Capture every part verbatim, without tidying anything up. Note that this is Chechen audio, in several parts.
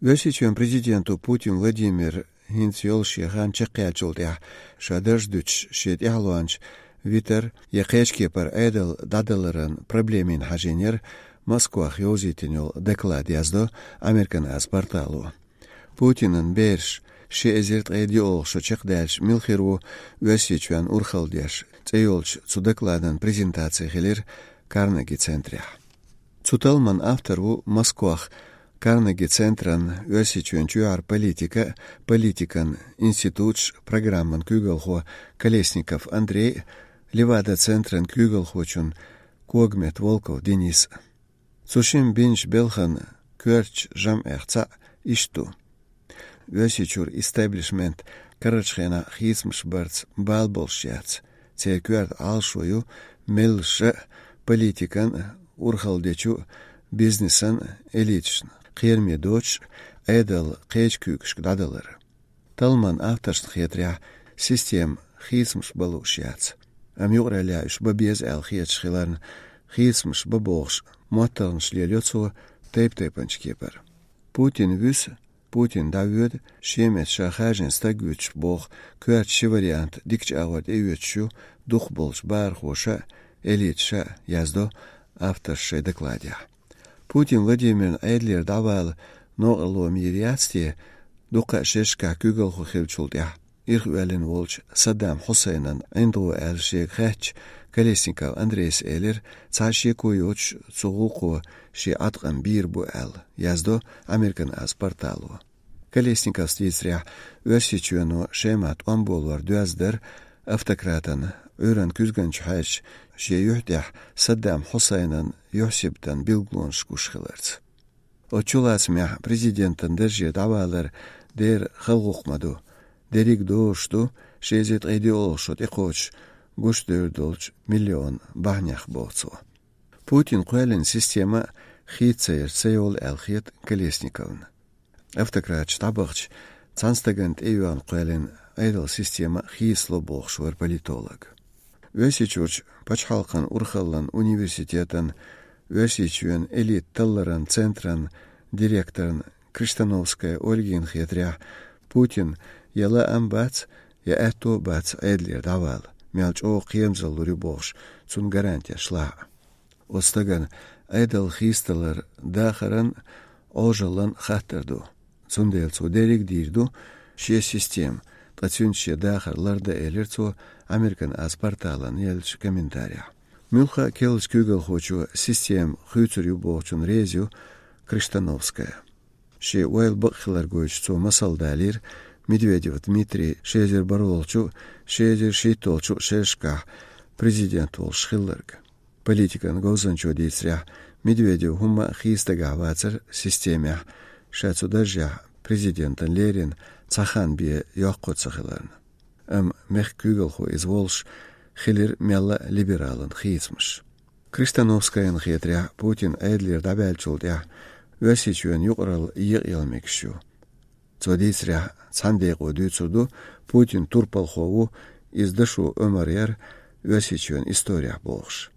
Оьрсийчоьнан президенто Путин Владимира хӀинца йолу шен хан чекхъяьллачул тӀаьхьа ша дарж дуьтуш шен тӀаьхьалонча витар я кхечу кепара Ӏедал дӀадаларан проблемина хьажийнера Москвахь йовзийтина йолу доклад, яздо Американ Аз портало. Путинан бераш ши эзар ткъе диъолгӀа шо чекхдаьлча мила хир ву Оьрсийчоьнна урхалла деш цӀе йолчу цу докладан презентаци хилира Карнеги центрехь. Цу талламан автор ву Москвахь Карнеги центран Оьрсийчоьнан чоьхьара политика, политикан институташ программан куьйгалхо Колесников Андрей, Левада центран куьйгалхочун Когмет Волков Денис. Цу шимма бинчу белхан коьртачу жамӀех цхьаъ иштта ду. Оьрсийчуьра истеблишмент карарчу хенахь хийцамаш барца бала болуш яц. Церан коьрта Ӏалашо ю меллаша а, политикан а, урхалла дечу а, бизнесан а, элиташна, кхераме доцуш а Ӏедал кхечу куьйгашка дӀадалар. Талламан авторшна хетарехь, система хийцамаш бан лууш яц. Амма юкъараллехь уьш бан беза аьлла хеташ хиларна, хийцамаш бан бохуш моттаргӀанаш лелайо цо тайп-тайпанчу кепара. Путин вуьсу, Путин дӀавоьду, шен метта ша хаьржина стаг вуьтуш боху коьрта ши вариант дикачу агӀор тӀеоьцуш ю дукхахболчу бахархоша а, элиташа а, яздо авторша шайн докладехь. Путин Владимирна Ӏедалера дӀавала новкъарло ма йийр яц те, дуккха а шерашкахь куьйгалхо хиллачул тӀаьхьа ирхъоьллина волчу Саддам Хьусайнан ӀиндагӀо аьлла шега хаьттича, Колесников Андрейс элира, цхьа а шеко йоцуш цу гӀуллакхо шен Ӏаткъам бийр бу аьлла, яздо Американ Аз портало. Колесниковс дийцарехь, Оьрсийчоьно Шемахь тӀом болор доьзна дара автократан Ӏуьйранна куьзганчу хьаьжча шен юьхь тӀехь Саддам Хьусайнан юьхь-сибатан билгалонаш гуш хиларца. Оцу чулацамехь президентан дарже дӀавалар дера хала гӀуллакх ма ду, дерриг дозуш ду ши эзар ткъе диъолгӀа шо тӀекхочуш гуш девр долчу миллион бахьанех, боху цо. Путин кхоьллина система хийца ца ярца ца йолу аьлла хета Колесниковна. Автократаш дӀабахча, цхьана стагана тӀеоьгӀна кхоьллина Ӏедалан система хийцало бохуш вара политолог. Оьрсийчуьрчу пачхьалкхан урхаллан университетан Оьрсийчоьнан элита талларан центран директорна Криштановская Ольгина хетарехь, Путин я лаам бац, я аьтто а бац Ӏедалера дӀавала, мел чӀогӀа кхерамзалла лур ю бохуш, цунна гарантеш лахь а. Оцу стагана Ӏедал хийцадалар дахаран, Ӏожаллан хаттар ду. Цундела цо дерриг а дийр ду шен система, ткъа цуьнца шен дахар лардан, элира цо Американ Аз порталан еллачу комментарехь. Муьлхха а керлачу куьйгалхочо система хуьйцур ю бохучунна реза ю Криштановская. Шен ойла бакъ хилар гойтуш цо масал далийра Медведев Дмитрий ши эзар бархӀолгӀачу, ши эзар шийтталгӀачу шерашкахь президент волуш хилларг. Политикан говзанчо дийцарехь, Медведев хӀумма а хийца дагахь вацара системехь, ша цу даржехь президентана лерина цхьа хан бен йоккхо ца хиларна. Амма мехкан куьйгалхо иза волуш хилира мелла а либералан хийцамаш. Криштановскаяна хетарехь, Путин Ӏедалера дӀаваьллачул тӀаьхьа Оьрсийчоьнан юкъаралла екъаяла мегаш ю. Цо дийцарехь, цхьана декъо дуьйцур ду, Путин турпалхо ву, иза дашо омра яра Оьрсийчоьнан историхь бохуш.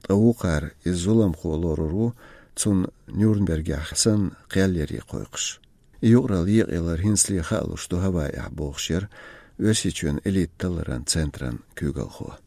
Ткъа вукхара иза зуламхо лорур ву, цунна Нюрнбергехь санна кхел яре кхойкхуш. И юкъаралла екъаялар хӀинцале хаалуш ду Гавайехь бохуш яра Оьрсийчоьнан элита талларан центран куьйгалхо.